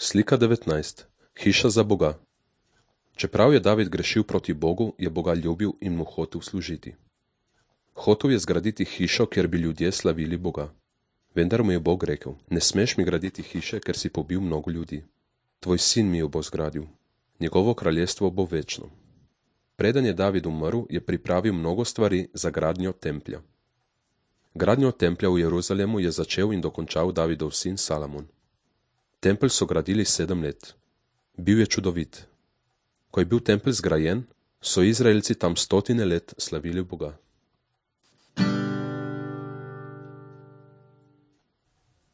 Slika 19. Hiša za Boga. Čeprav je David grešil proti Bogu, je Boga ljubil in mu hotel služiti. Hotel je zgraditi hišo, kjer bi ljudje slavili Boga. Vendar mu je Bog rekel: ne smeš mi graditi hiše, ker si pobil mnogo ljudi. Tvoj sin mi jo bo zgradil. Njegovo kraljestvo bo večno. Preden je David umrl, je pripravil mnogo stvari za gradnjo templja. Gradnjo templja v Jeruzalemu je začel in dokončal Davidov sin Salamon. Tempelj so gradili 7 let. Bil je čudovit. Ko je bil tempelj zgrajen, so Izraelci tam 100 let slavili Boga.